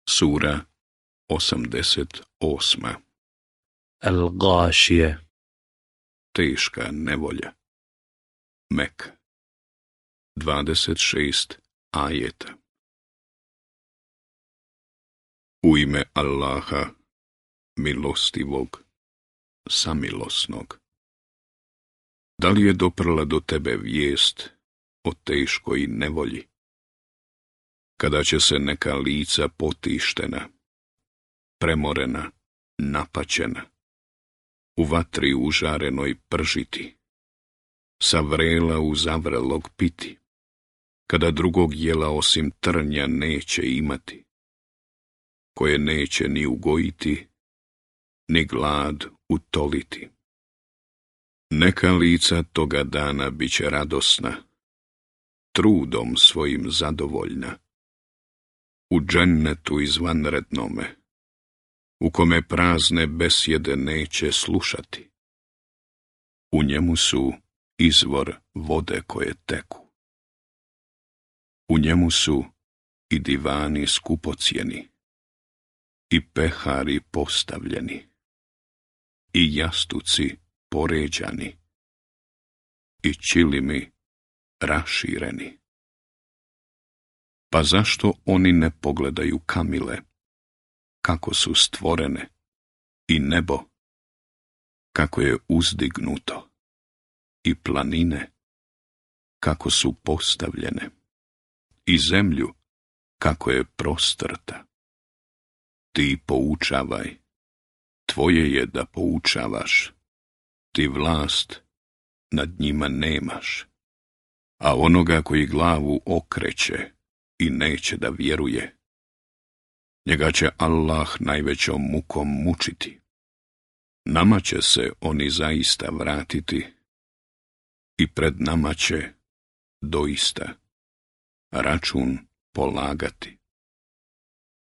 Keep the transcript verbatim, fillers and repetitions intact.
Sura osamdeset osma. Al-Gashije. Teška nevolja. Mek. dvadeset šest ajeta. U ime Allaha, milostivog, samilosnog. Da li je doprla do tebe vijest o teškoj nevolji, kada će se neka lica potištena, premorena, napaćena, u vatri užarenoj pržiti, sa vrela u zavrelog piti, kada drugog jela osim trnja neće imati, koje neće ni ugojiti, ni glad utoliti. Neka lica toga dana bit će radosna, trudom svojim zadovoljna, u džennetu izvanrednome, u kome prazne besjede neće slušati. U njemu su izvor vode koje teku. U njemu su i divani skupocjeni, i pehari postavljeni, i jastuci poređani, i čilimi rašireni. Pa zašto oni ne pogledaju kamile, kako su stvorene, i nebo, kako je uzdignuto, i planine, kako su postavljene, i zemlju, kako je prostrta. Ti poučavaj, tvoje je da poučavaš, ti vlast nad njima nemaš, a onoga koji glavu okreće i neće da vjeruje, njega će Allah najvećom mukom mučiti. Nama će se oni zaista vratiti i pred nama će doista račun polagati.